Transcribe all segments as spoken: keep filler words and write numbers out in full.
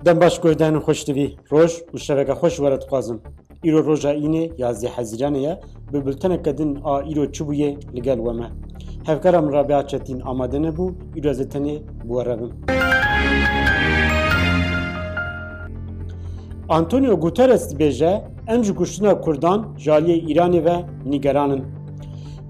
Dem baş guhdarên xweştivî, roj û şeveke xweş were dixwazim. Îro roja înê yazdeh Hezîranê ye, bi bulteneke din a îro çi bûye li gel we me. Hevkara min Rabia Çetîn amade nebû, îro ez ê tenê bi we re bim. Antonio Guterres dibêje, em ji kuştina Kurdan ji aliyê Îranê ve nîgeran in.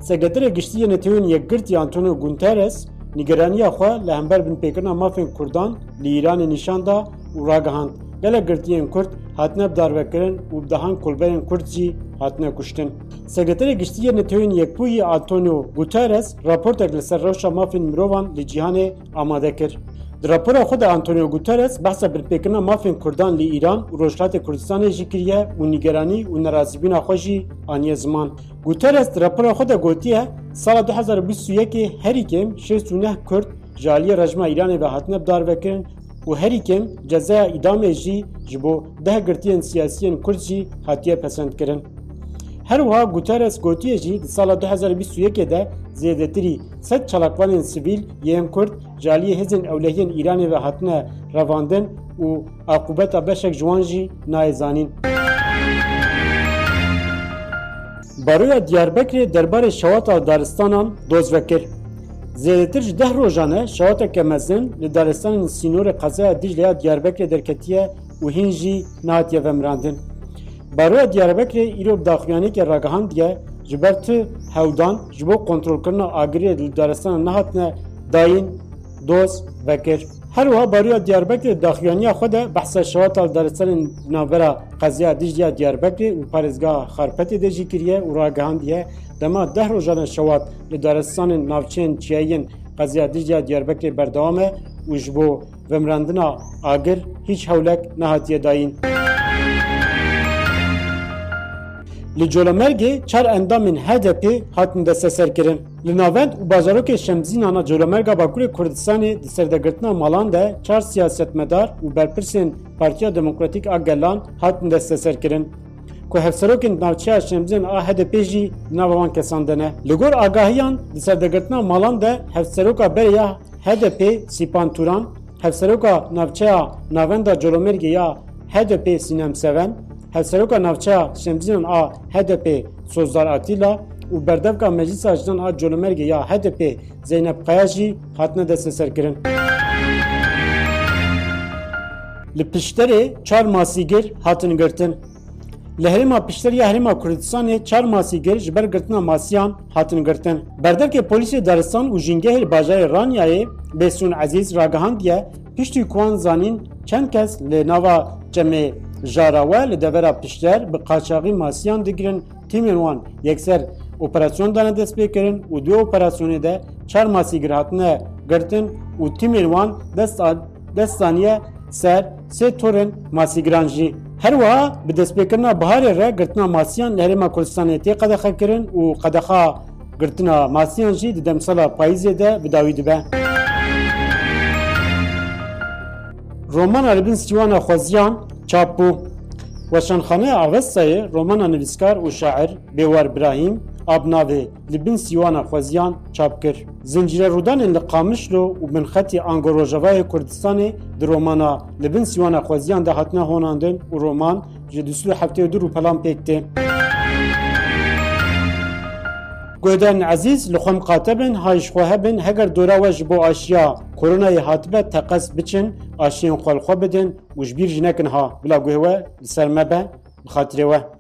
Sekreterê Giştî yê Netewên Yekgirtî Antonio Guterres nîgeraniya xwe li hember binpêkirina mafên Kurdan li Îranê nîşan da û ragihand, gelek girtiyên Kurd hatine bidarvekirin û bi dehan kolberên Kurd jî hatine kuştin. Sekreterê Giştî yê Netewên Yekbûyî Antonio Guterres raportek li ser rewşa mafên mirovan li cîhanê amade kir. Di rapora xwe de Antonio Guterres behsa binpêkirina mafên Kurdan li Îran û Rojhilatê Kurdistanê jî kiriye û nîgeranî û nerazîbûna xwe jî aniye ziman. Guterres di rapora xwe de gotiye, sala du hezar û bîst û yekê herî kêm şêst û neh Kurd ji aliyê rejîma Îranê ve hatine bidarvekirin û herî kêm cezaya îdamê jî ji bo deh girtiyên siyasiyên Kurd jî hatiye pesendkirin. Her wiha Guterres gotiye jî di sala du hezar û bîst û yekê de zêdetirî sed çalakvanên sivîl yên Kurd ji aliyê hêzên ewlehiyên Îranê ve hatine revandin û aqûbeta beşek ji wan jî nayê zanîn. Baroya Diyarbekirê derbarê şewata daristanan doz vekir. Zêdetir ji deh rojan e şewateke mezin li daristanên sînorê qezaya Dîcle ya Diyarbekirê derketiye û hîn jî nehatiye vemirandin. Baroya Diyarbekirê îro bi daxuyaniyekê ragihandiye, ji ber tu hewdan ji bo kontrolkirina agirê li daristana nehatine dayîn doz vekir. Her wiha Baroya Diyarbekirê daxuyaniya xwe de behsa şewata li daristanên di navbera qezaya Dîcle ya Diyarbekirê û parêzgeha Xarpetê de jî kiriye û ragihandiye, dema deh rojan e şewat li daristanên navçeyên çiyayî yên qezaya Dîcle ya Diyarbekirê berdewam e û ji bo vemirandina agir hîç hewlek nehatiye dayîn. Li Colemêrgê çar endamên H D P hatin desteserkirin. Li navend û bajarokê Şemzînan a Colemêrga Bakurê Kurdistanê di serdegirtina malan de çar siyasetmedar û berpirsên Partiya Demokratîk a Gelan hatin desteserkirin, ku hevserokên navçeya Şemzînan a H D P jî di nava wan kesan de ne. Li gor agahiyan, di serdegirtina malan de hevseroka berê ya H D P Sîpan Turan, hevseroka navçeya Navenda Colemêrgê ya H D P Sînem Seven, hevseroka navçeya Şemzînan a H D P Sozdar Atîla û berdevka Meclisa Jinan a Colemêrgê ya H D P Zeynep Kaya jî hatine desteserkirin. Li Pişterê çar masîgir hatin girtin. Li herêma Pişter ya Herêma Kurdistanê çar masîgir ji ber girtina masiyan hatin girtin. Berdevkê polîsê daristan û jîngehê li bajarê Ranyayê Bêsûn Ezîz ragihandiye, piştî ku wan zanîn çend kes li nava çemê Jarawe li devera Pişter bi qaçaxî masiyan digirin, tîmên wan yekser operasyon dane destpêkirin û di wê operasyonê de çar masîgir hatine girtin û tîmên wan dest a-, dest daniye ser sê torên masîgiran jî. Her wiha bi destpêkirina biharê re girtina masiyan li Herêma Kurdistanê tê qedexekirin û qedexa girtina masiyan jî di demsala payîzê de bi dawî dibe. Romana Li bin sîwana xweziyan çap bû. Weşanxaneya Avestayê romana nivîskar û şair Bêwar Birahîm a bi navê Li bin sîwana xweziyan çap kir. Zincîre rûdanên li Qamişlo û binxetî ango Rojavayê Kurdistanê di romana Li bin sîwana xweziyan de hatine honandin û roman ji du sed û heftê û du rûpelan pêk tê. Guhdarên ezîz, li xwe miqate bin, hay ji xwe hebin, heger dora we ji bo aşiya koronayê hatibe, teqez biçin, aşiyên xwe li xwe bidin û ji bîr jî nekin ha. Bila guhê we li ser me be, bi xatirê we.